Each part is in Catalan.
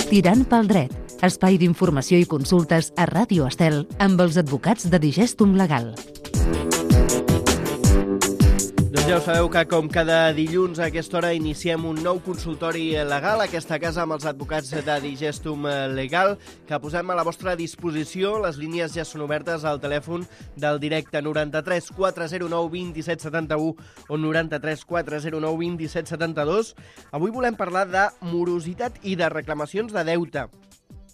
Tirant pel dret, espai d'informació i consultes a Ràdio Estel amb els advocats de Digestum Legal. Doncs ja ho sabeu que com cada dilluns a aquesta hora iniciem un nou consultori legal a aquesta casa amb els advocats de Digestum Legal que posem a la vostra disposició. Les línies ja són obertes al telèfon del directe 93 409 2771 o 93 409 2772. Avui volem parlar de morositat i de reclamacions de deute.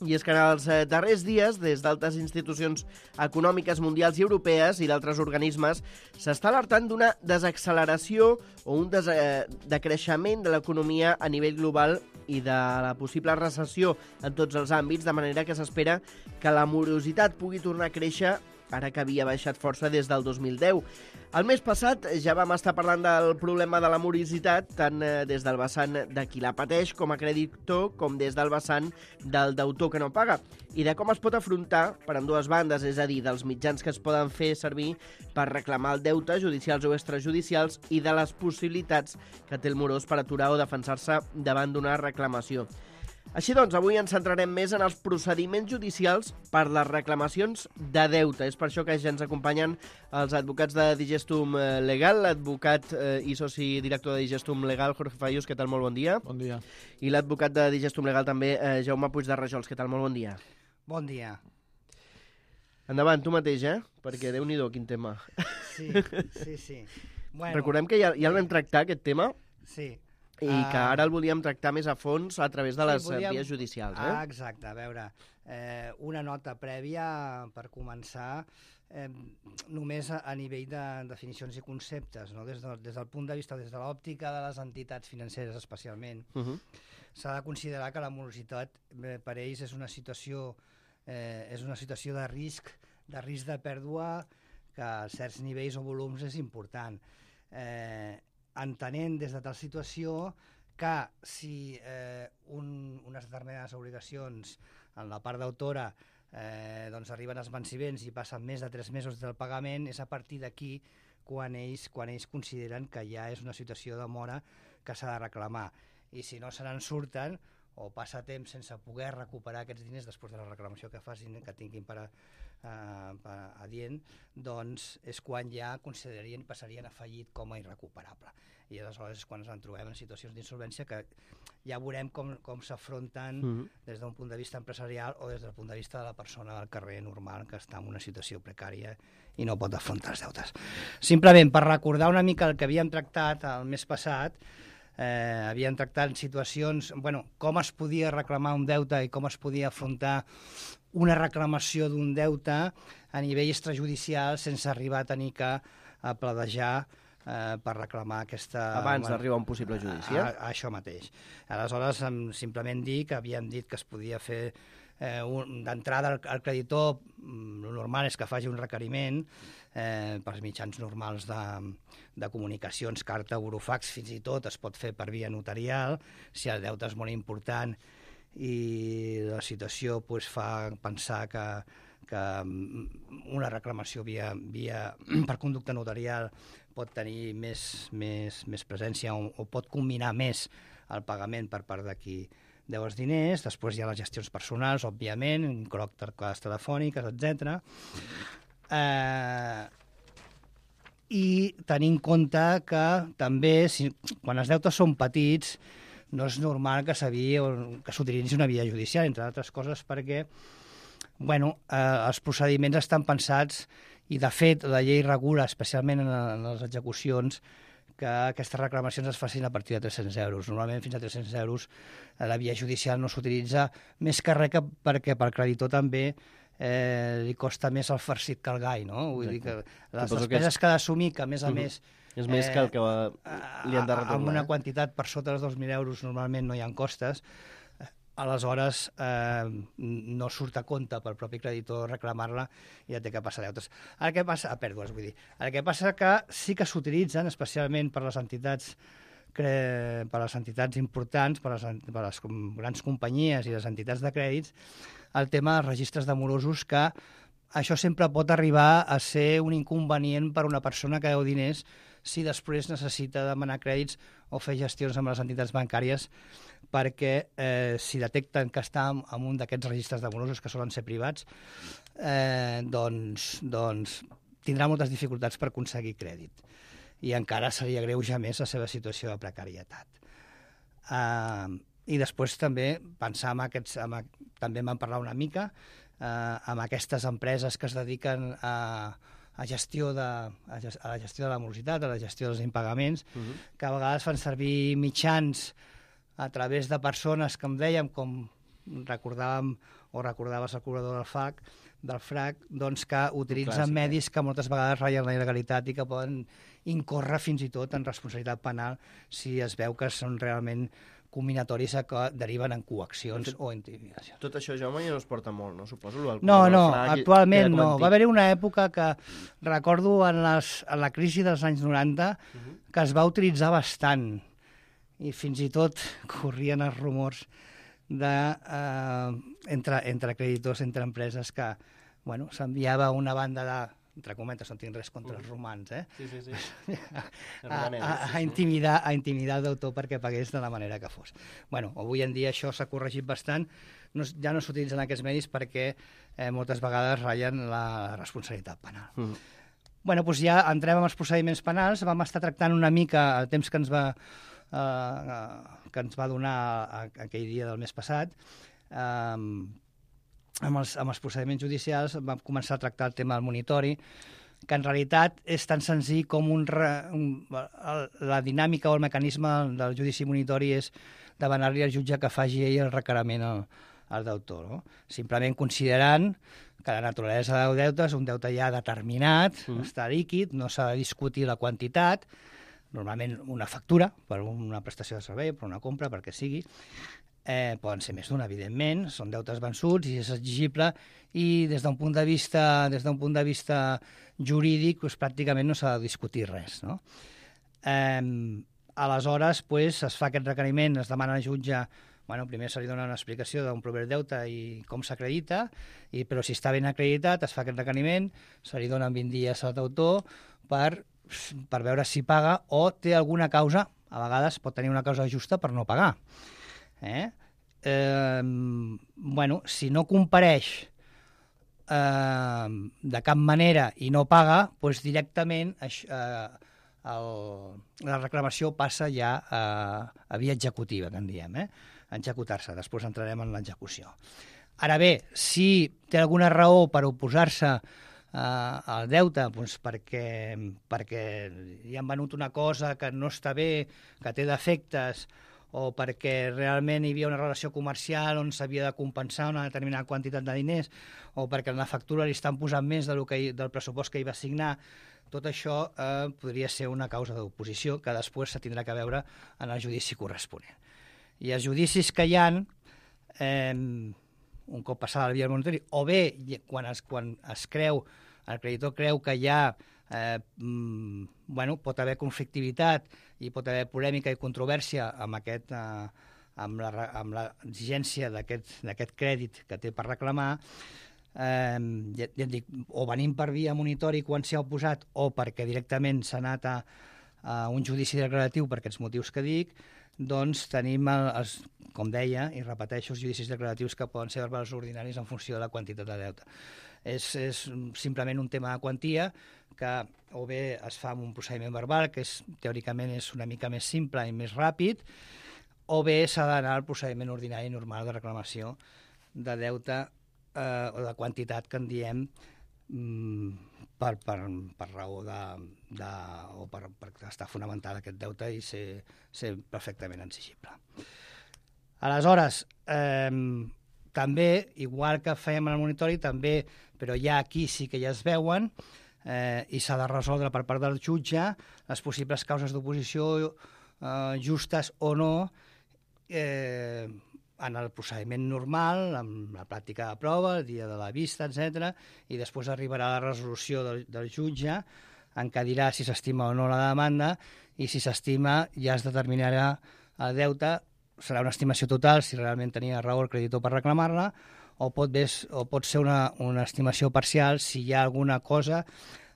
I és que en els darrers dies, des d'altres institucions econòmiques mundials i europees i d'altres organismes, s'està alertant d'una desacceleració o un decreixement de l'economia a nivell global i de la possible recessió en tots els àmbits, de manera que s'espera que la morositat pugui tornar a créixer ara que havia baixat força des del 2010. El mes passat ja vam estar parlant del problema de la morositat, tant des del vessant de qui la pateix com a creditor, com des del vessant del deutor que no paga, i de com es pot afrontar per ambdues bandes, és a dir, dels mitjans que es poden fer servir per reclamar el deute, judicials o extrajudicials, i de les possibilitats que té el morós per aturar o defensar-se davant d'una reclamació. Així doncs, avui ens centrarem més en els procediments judicials per les reclamacions de deute. És per això que ja ens acompanyen els advocats de Digestum Legal, l'advocat i soci director de Digestum Legal, Jorge Fayús, què tal? Molt bon dia. Bon dia. I l'advocat de Digestum Legal també, Jaume Puig de Rajols, què tal? Molt bon dia. Bon dia. Endavant, tu mateix, perquè Déu-n'hi-do, quin tema. Sí. Bueno, recordem que ja el vam tractar, aquest tema. Sí. I que ara el volíem tractar més a fons a través de les vies judicials. Exacte, a veure, una nota prèvia per començar, només a nivell de definicions i conceptes, no? Des del punt de vista, des de l'òptica de les entitats financeres especialment, s'ha de considerar que la morositat per ells és una situació de risc de pèrdua que a certs nivells o volums és important. Entenent des de tal situació que si unes determinades obligacions en la part d'autora doncs arriben als venciments i passen més de 3 mesos del pagament, és a partir d'aquí quan ells consideren que ja és una situació de mora que s'ha de reclamar. I si no se n'en surten o passa temps sense poder recuperar aquests diners després de la reclamació que facin, que tinguin per adient, doncs és quan ja considerarien i passarien a fallit com a irrecuperable. I aleshores és quan ens en trobem en situacions d'insolvència que ja veurem com s'afronten des d'un punt de vista empresarial o des del punt de vista de la persona del carrer normal que està en una situació precària i no pot afrontar els deutes. Simplement per recordar una mica el que havíem tractat el mes passat, havien tractat situacions, com es podia reclamar un deute i com es podia afrontar una reclamació d'un deute a nivell extrajudicial sense arribar a tenir que pledejar per reclamar aquesta... Abans d'arribar a un possible judici, Això mateix. Aleshores, simplement dir que havíem dit que es podia fer d'entrada al creditor, el normal és que faci un requeriment pels mitjans normals de comunicacions, carta, burofax, fins i tot es pot fer per via notarial, si el deute és molt important i la situació fa pensar que una reclamació per conducta notarial pot tenir més presència o pot combinar més el pagament per part de qui deu els diners. Després hi ha les gestions personals, òbviament, trucades telefòniques, etc. I tenir en compte que també, quan els deutes són petits, no és normal que s'utilitzi una via judicial, entre altres coses perquè els procediments estan pensats i, de fet, la llei regula, especialment en les execucions, que aquestes reclamacions es facin a partir de 300 euros. Normalment, fins a 300 euros, la via judicial no s'utilitza més que res perquè pel creditor també li costa més el farcit que el gai, no? Vull dir que les despeses que ha d'assumir, que a més és més que el que li han de retornar. Amb una quantitat per sota dels 2.000 euros normalment no hi ha costes, aleshores no surt a compte pel propi creditor reclamar-la i ja té que passar deutes. El que passa que sí que s'utilitzen, especialment per les entitats importants, per les grans companyies i les entitats de crèdits, el tema dels registres de morosos, que això sempre pot arribar a ser un inconvenient per una persona que deu diners si després necessita demanar crèdits o fer gestions amb les entitats bancàries, perquè si detecten que està en un d'aquests registres de morosos que solen ser privats, doncs tindrà moltes dificultats per aconseguir crèdit i encara seria greujar més la seva situació de precarietat. I després també pensar també vam parlar una mica amb aquestes empreses que es dediquen a la gestió de la morositat, a la gestió dels impagaments, que a vegades fan servir mitjans a través de persones que em dèiem, com recordàvem o recordaves el cobrador del FRAC, doncs que utilitzen medis que moltes vegades ratllen la il·legalitat i que poden incórrer fins i tot en responsabilitat penal si es veu que són realment combinatoris que deriven en coaccions o intimidacions. Tot això, Jaume, ja no es porta molt, no? Suposo. No, actualment no. Va haver-hi una època que recordo en la crisi dels anys 90 que es va utilitzar bastant i fins i tot corrien els rumors entre creditors, entre empreses, que s'enviava una banda de, entre cometes, no tinc res contra els romans, a intimidar el deutor perquè pagués de la manera que fos. Avui en dia això s'ha corregit bastant, ja no s'utilitzen aquests medis perquè moltes vegades ratllen la responsabilitat penal. Doncs ja entrem en els procediments penals, vam estar tractant una mica el temps que ens va donar aquell dia del mes passat. Amb els procediments judicials vam començar a tractar el tema del monitori, que en realitat és tan senzill com la dinàmica o el mecanisme del judici monitori és demanar-li al jutge que faci ell el requeriment al deutor, no? Simplement considerant que la naturalesa del deute és un deute ja determinat, està líquid, no s'ha de discutir la quantitat, normalment una factura per una prestació de servei, per una compra, perquè sigui. Poden ser més d'una, evidentment, són deutes vençuts i és exigible, i des d'un punt de vista jurídic pràcticament no s'ha de discutir res, no? Aleshores es fa aquest requeriment, es demana al jutge, primer se li dona una explicació d'on prové el deute i com s'acredita, però si està ben acreditat es fa aquest requeriment, se li donen 20 dies al deutor per veure si paga o té alguna causa, a vegades pot tenir una causa justa per no pagar. Si no compareix de cap manera i no paga, doncs directament la reclamació passa ja a via executiva, que en diem, a executar-se. Després entrarem en l'execució. Ara bé, si té alguna raó per oposar-se al deute, doncs perquè li han venut una cosa que no està bé, que té defectes, o perquè realment hi havia una relació comercial on s'havia de compensar una determinada quantitat de diners, o perquè en la factura li estan posant més del pressupost que hi va assignar, tot això podria ser una causa d'oposició que després se tindrà que veure en el judici corresponent. I els judicis que hi ha, un cop passada la via del monitori, o bé quan el creditor creu que hi ha pot haver conflictivitat i pot haver polèmica i controvèrsia amb l'exigència d'aquest crèdit que té per reclamar, ja et dic, o venim per via monitori quan s'hi ha oposat o perquè directament s'ha anat a un judici declaratiu per aquests motius que dic, doncs tenim, com deia, i repeteixo, els judicis declaratius que poden ser verbals ordinaris en funció de la quantitat de deute. És simplement un tema de quantia que o bé es fa amb un procediment verbal, que teòricament és una mica més simple i més ràpid, o bé s'ha d'anar al procediment ordinari normal de reclamació de deute o de quantitat que en diem per raó o per estar fonamentat aquest deute i ser perfectament exigible. Aleshores, també, igual que fèiem en el monitori, també, però ja aquí sí que ja es veuen i s'ha de resoldre per part del jutge les possibles causes d'oposició justes o no en el procediment normal, amb la pràctica de prova, el dia de la vista, etc. I després arribarà la resolució del jutge en què dirà si s'estima o no la demanda, i si s'estima ja es determinarà el deute, serà una estimació total si realment tenia raó el creditor per reclamar-la, o pot ser una estimació parcial si hi ha alguna cosa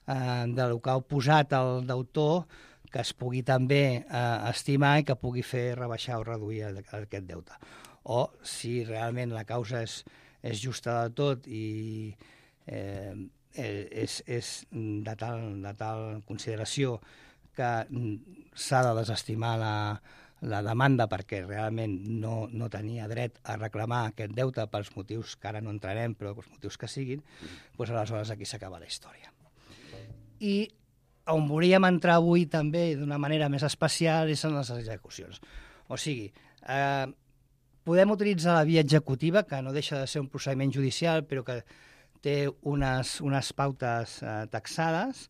del que ha oposat el deutor que es pugui també estimar i que pugui fer rebaixar o reduir aquest deute. O si realment la causa és justa del tot i és de tal consideració que s'ha de desestimar la demanda perquè realment no tenia dret a reclamar aquest deute pels motius que ara no entrarem, però pels motius que siguin, doncs aleshores aquí s'acaba la història. I on volíem entrar avui també d'una manera més especial és en les execucions. O sigui, podem utilitzar la via executiva, que no deixa de ser un procediment judicial, però que té unes pautes taxades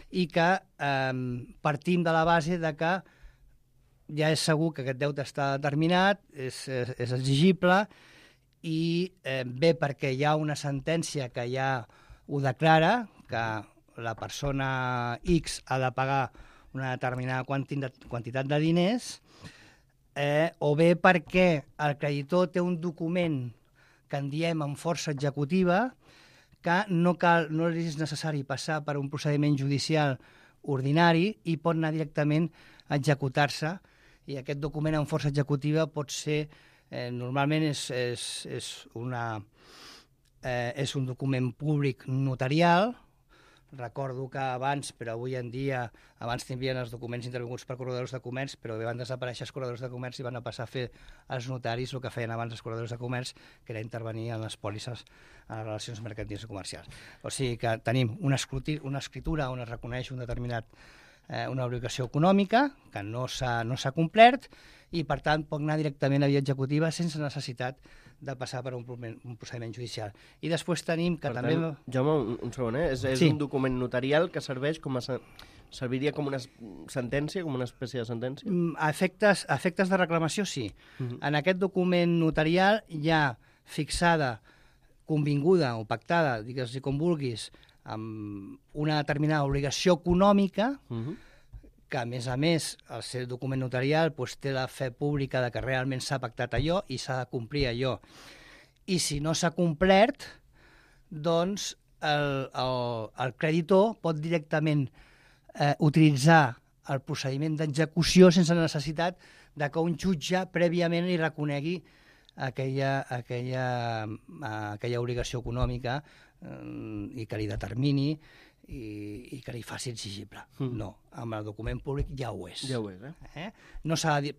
i que partim de la base de que ja és segur que aquest deute està determinat, és exigible i bé perquè hi ha una sentència que ja ho declara, que la persona X ha de pagar una determinada quantitat de diners, o bé perquè el creditor té un document que en diem amb força executiva, que no és necessari passar per un procediment judicial ordinari i pot anar directament a executar-se, i aquest document amb força executiva pot ser, normalment és un document públic notarial. Recordo que abans, però avui en dia, abans tindrien els documents intervinguts per corredors de comerç, però van desaparèixer els corredors de comerç i van passar a fer els notaris el que feien abans els corredors de comerç, que era intervenir en les pòlisses en les relacions mercantils i comercials. O sigui que tenim una escritura on es reconeix una obligació econòmica que no s'ha complert i, per tant, pot anar directament a via executiva sense necessitat de passar per un procediment judicial. I després tenim que també... Jaume, un segon, és sí. Un document notarial que serveix serviria com una sentència, com una espècie de sentència? A efectes de reclamació, sí. En aquest document notarial hi ha fixada, convinguda o pactada, digues-hi com vulguis, amb una determinada obligació econòmica, que a més, el seu document notarial té la fe pública de que realment s'ha pactat allò i s'ha de complir allò. I si no s'ha complert, doncs el creditor pot directament utilitzar el procediment d'execució sense necessitat de que un jutge prèviament li reconegui aquella obligació econòmica i que li determini i que li faci exigible. No, amb el document públic ja ho és. Ja ho és, No s'ha de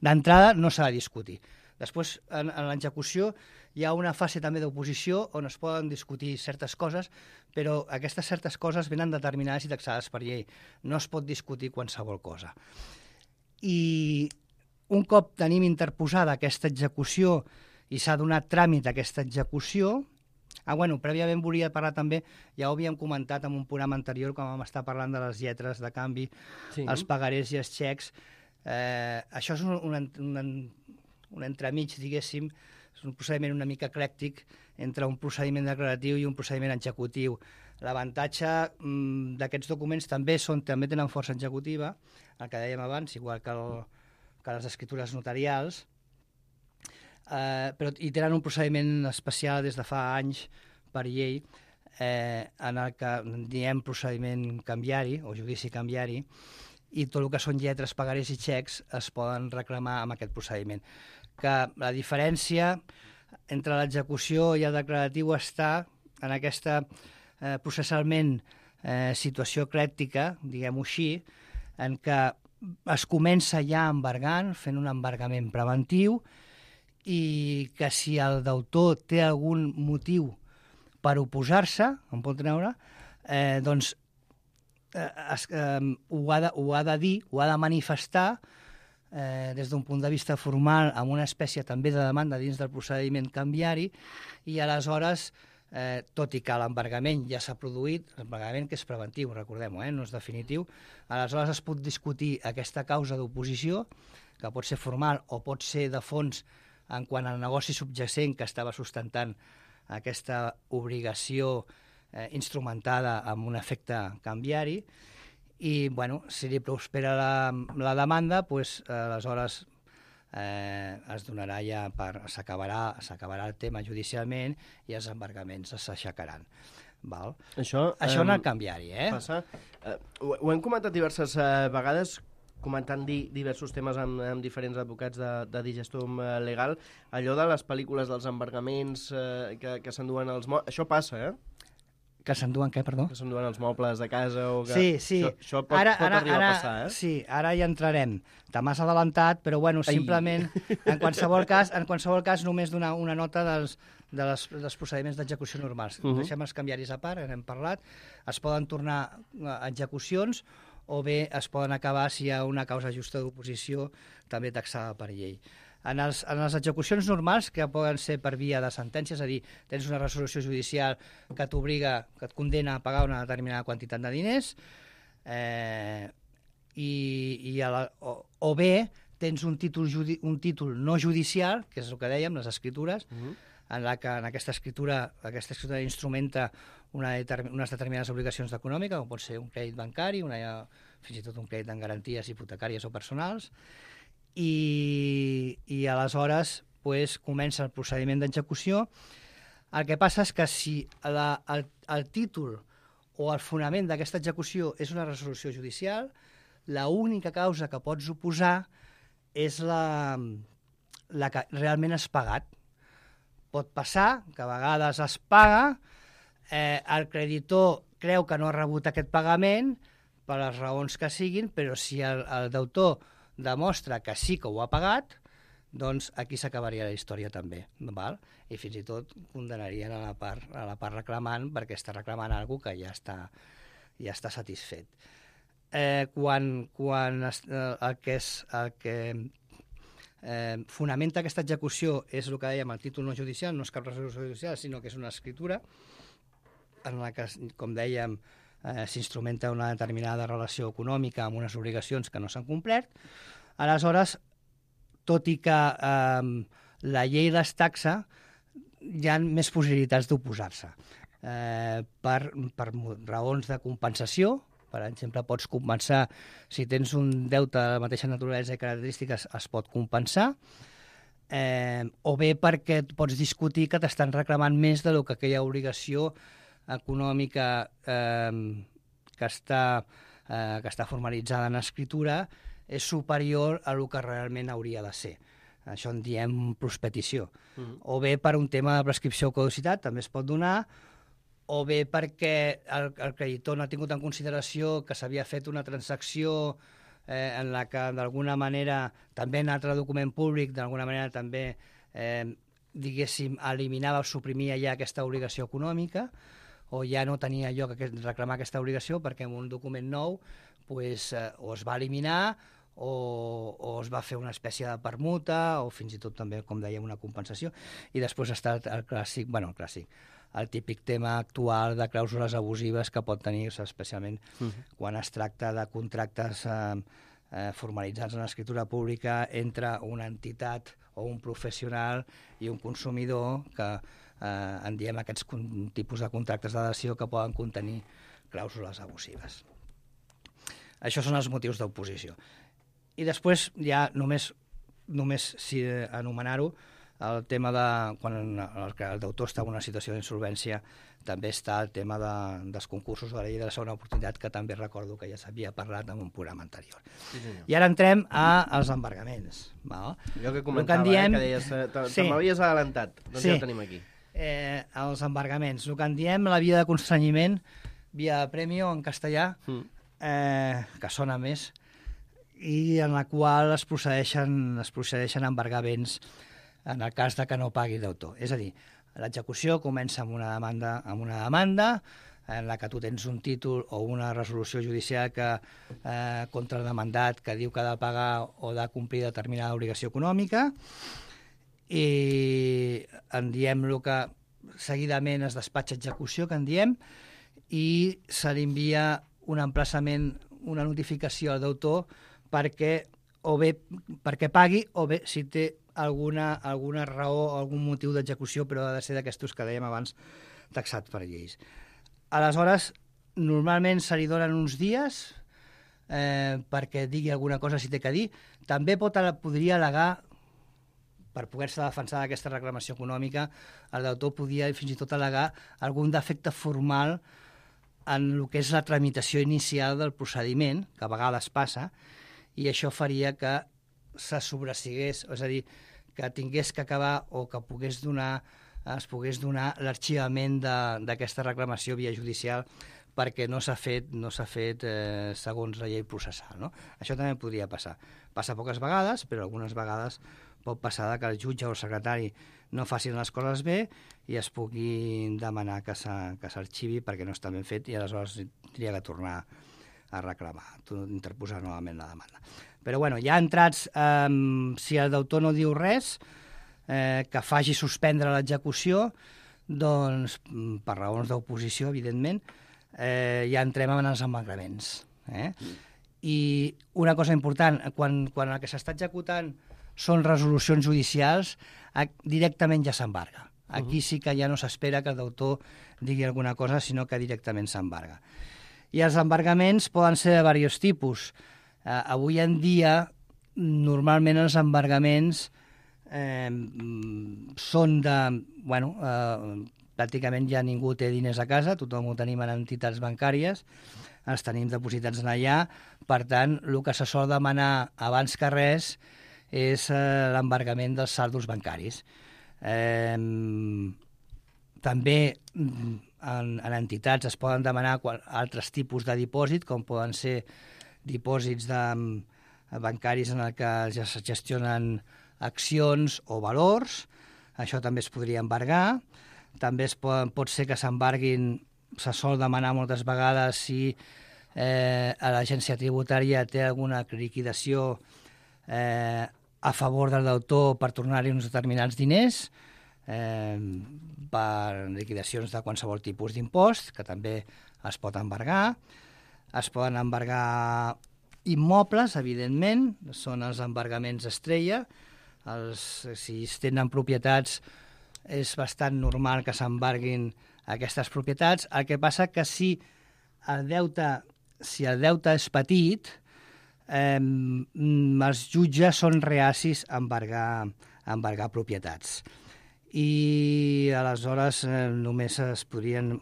d'entrada no s'ha de discutir. Després, en l'execució, hi ha una fase també d'oposició on es poden discutir certes coses, però aquestes certes coses venen determinades i taxades per llei. No es pot discutir qualsevol cosa. I un cop tenim interposada aquesta execució i s'ha donat tràmit a aquesta execució, prèviament volia parlar també, ja ho havíem comentat en un programa anterior quan vam estar parlant de les lletres de canvi, sí, els pagarés i els xecs. Això és un entremig, diguéssim, és un procediment una mica eclèctic entre un procediment declaratiu i un procediment executiu. L'avantatge d'aquests documents també tenen força executiva, el que dèiem abans, igual que les escritures notarials, però hi tenen un procediment especial des de fa anys per llei en el que diem procediment canviari o judici canviari, i tot el que són lletres, pagarés i xecs es poden reclamar amb aquest procediment. Que la diferència entre l'execució i el declaratiu està en aquesta processalment situació eclèctica, diguem-ho així, en què es comença ja embargant, fent un embargament preventiu, i que si el deutor té algun motiu per oposar-se, en pot treure, doncs ho ha de dir, ho ha de manifestar des d'un punt de vista formal amb una espècie també de demanda dins del procediment canviari, i aleshores, tot i que l'embargament ja s'ha produït, l'embargament que és preventiu, recordem-ho, no és definitiu, aleshores es pot discutir aquesta causa d'oposició, que pot ser formal o pot ser de fons en quant al negoci subjacent que estava sustentant aquesta obligació instrumentada amb un efecte canviari, i si li prospera la demanda, aleshores es donarà ja s'acabarà el tema judicialment i els embargaments s'aixecaran. Val? Això en el canviari, passa. Ho hem comentat diverses vegades, comentant diversos temes amb diferents advocats de Digestum Legal, allò de les pel·lícules dels embargaments que s'enduen els mobles, això passa, Que s'enduen què, perdó? Que s'enduen els mobles de casa o que... Sí. Això pot arribar a passar, Sí, ara hi entrarem. Te m'has adelantat, però bueno, simplement, en qualsevol cas només donar una nota dels procediments d'execució normals. Deixem els canviaris a part, n'hem parlat, es poden tornar a execucions o bé es poden acabar si hi ha una causa justa d'oposició també taxada per llei. En les execucions normals, que poden ser per via de sentència, és a dir, tens una resolució judicial que t'obliga, que et condena a pagar una determinada quantitat de diners, o bé tens un títol no judicial, que és el que dèiem, les escritures, en aquesta escritura instrumenta unes determinades obligacions econòmiques, com pot ser un crèdit bancari, fins i tot un crèdit en garanties hipotecàries o personals, i aleshores comença el procediment d'execució. El que passa és que si el títol o el fonament d'aquesta execució és una resolució judicial, l'única causa que pots oposar és la que realment has pagat. Pot passar que a vegades es paga, el creditor creu que no ha rebut aquest pagament per les raons que siguin, però si el deutor demostra que sí que ho ha pagat, doncs aquí s'acabaria la història també, val? I fins i tot condenarien a la part reclamant perquè està reclamant alguna cosa que ja està satisfet. Quan el que fonamenta aquesta execució és el que dèiem, el títol no judicial, no és cap resolució judicial, sinó que és una escritura en la que, com dèiem, s'instrumenta una determinada relació econòmica amb unes obligacions que no s'han complert. Aleshores, tot i que la llei les taxa, hi ha més possibilitats d'oposar-se. Per raons de compensació, per exemple, pots compensar, si tens un deute de la mateixa naturalesa i característiques, es pot compensar, o bé perquè pots discutir que t'estan reclamant més del que aquella obligació econòmica que està formalitzada en escritura és superior a el que realment hauria de ser. Això en diem prospetició. O bé per un tema de prescripció o caducitat, també es pot donar, o bé perquè el creditor no ha tingut en consideració que s'havia fet una transacció en la que d'alguna manera, també en altre document públic, d'alguna manera també, diguéssim, eliminava o suprimia ja aquesta obligació econòmica, o ja no tenia lloc reclamar aquesta obligació perquè en un document nou o es va eliminar o es va fer una espècie de permuta o fins i tot també, com dèiem, una compensació. I després està el clàssic, el típic tema actual de clàusules abusives que pot tenir-se, especialment quan es tracta de contractes formalitzats en l'escriptura pública entre una entitat o un professional i un consumidor que en diem aquests tipus de contractes d'adhesió que poden contenir clàusules abusives. Això són els motius d'oposició. I després ja només si anomenar-ho, el tema de quan el deutor està en una situació d'insolvència, també està el tema dels concursos de la llei de la segona oportunitat, que també recordo que ja s'havia parlat en un programa anterior. Sí, i ara entrem als embargaments. Val? Jo que comentava, que deies, te m'havies adelantat, doncs ja ho tenim aquí. Els embargaments, el que en diem la via de constrenyiment, via de premio en castellà, que sona més, i en la qual es procedeixen a embargar béns en el cas de que no pagui deutor. És a dir, l'execució comença amb una demanda en la que tu tens un títol o una resolució judicial contra el demandat que diu que ha de pagar o de complir determinada obligació econòmica, i en diem el que seguidament es despatxa execució, que en diem, i se li envia un emplaçament, una notificació al deutor perquè pagui, o bé si té alguna raó o algun motiu d'execució, però ha de ser d'aquestos que dèiem abans, taxat per lleis. Aleshores, normalment se li donen uns dies perquè digui alguna cosa si té que dir. També podria al·legar per poder-se defensar d'aquesta reclamació econòmica, el deutor podia fins i tot al·legar algun defecte formal en el que és la tramitació inicial del procediment, que a vegades passa, i això faria que se sobresigués, és a dir, que tingués que acabar o que es pogués donar l'arxivament d'aquesta reclamació via judicial perquè no s'ha fet segons la llei processal. No? Això també podria passar. Passa poques vegades, però algunes vegades pot passar que el jutge o el secretari no facin les coses bé i es pugui demanar que s'arxivi perquè no està ben fet i aleshores tindria que tornar a reclamar, interposar novament la demanda. Però bueno, ja entrats, si el deutor no diu res, que faci suspendre l'execució, doncs, per raons d'oposició, evidentment, ja entrem en els embargaments. I una cosa important, quan el que s'està executant són resolucions judicials, directament ja s'embarga. Aquí sí que ja no s'espera que el deutor digui alguna cosa, sinó que directament s'embarga. I els embargaments poden ser de diversos tipus. Avui en dia, normalment els embargaments són de... pràcticament ja ningú té diners a casa, tothom ho tenim en entitats bancàries, els tenim depositats en allà, per tant, el que se sol demanar abans que res és l'embargament dels saldos bancaris. També en entitats es poden demanar altres tipus de dipòsit, com poden ser dipòsits bancaris en què es gestionen accions o valors, això també es podria embargar. També pot ser que s'embarguin, se sol demanar moltes vegades si l'agència tributària té alguna liquidació a favor del deutor per tornar-hi uns determinats diners, per liquidacions de qualsevol tipus d'impost, que també es pot embargar. Es poden embargar immobles, evidentment, són els embargaments estrella. Si es tenen propietats, és bastant normal que s'embarguin aquestes propietats. El que passa que si el deute és petit, els jutges són reacis a embargar propietats. I aleshores només es podrien...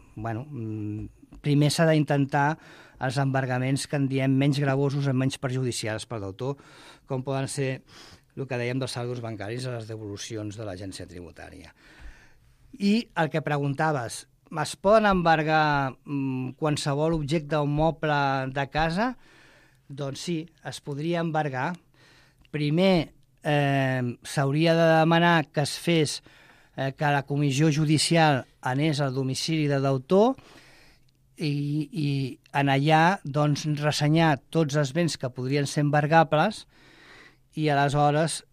primer s'ha d'intentar els embargaments que en diem menys gravosos i menys perjudicials per d'autor, com poden ser el que dèiem dels saldos bancaris a les devolucions de l'agència tributària. I el que preguntaves, es poden embargar qualsevol objecte o moble de casa? Doncs sí, es podria embargar. Primer s'hauria de demanar que es fes que la comissió judicial anés al domicili de deutor i en allà doncs, ressenyar tots els béns que podrien ser embargables i aleshores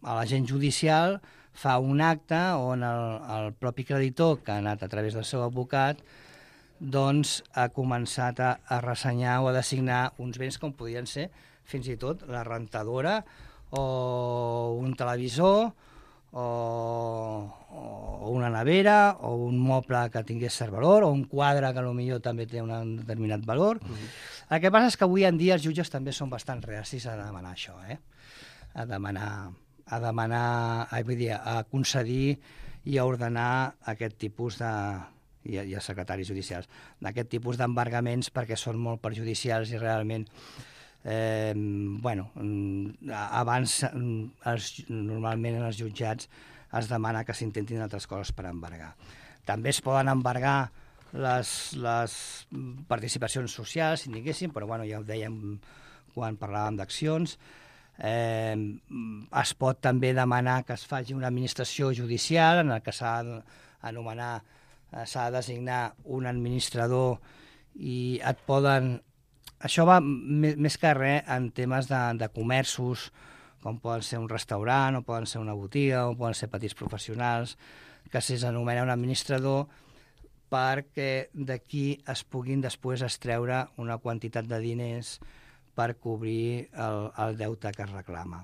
l'agent judicial fa un acte on el propi creditor, que ha anat a través del seu advocat, doncs ha començat a ressenyar o a designar uns béns com podien ser fins i tot la rentadora o un televisor o una nevera o un moble que tingués cert valor o un quadre que potser també té un determinat valor. El que passa és que avui en dia els jutges també són bastant reacis a demanar això, a concedir i a ordenar aquest tipus i els secretaris judicials, d'aquest tipus d'embargaments perquè són molt perjudicials i realment abans normalment en els jutjats es demana que s'intentin altres coses per embargar. També es poden embargar les participacions socials, si diguéssim, però ja ho dèiem quan parlàvem d'accions. Es pot també demanar que es faci una administració judicial en què s'ha de designar un administrador i et poden... Això va més que res en temes de comerços, com poden ser un restaurant, o poden ser una botiga, o poden ser petits professionals, que s'anomena un administrador perquè d'aquí es puguin després extreure una quantitat de diners per cobrir el deute que es reclama.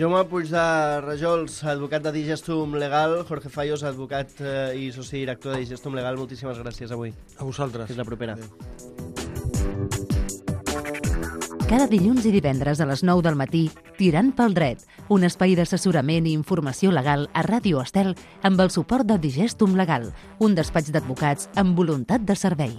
Jaume Puig de Rajols, advocat de Digestum Legal, Jorge Fallos, advocat i soci director de Digestum Legal, moltíssimes gràcies avui. A vosaltres. Fins la propera. Adéu. Cada dilluns i divendres a les 9 del matí, Tirant pel dret, un espai d'assessorament i informació legal a Ràdio Estel amb el suport de Digestum Legal, un despatx d'advocats amb voluntat de servei.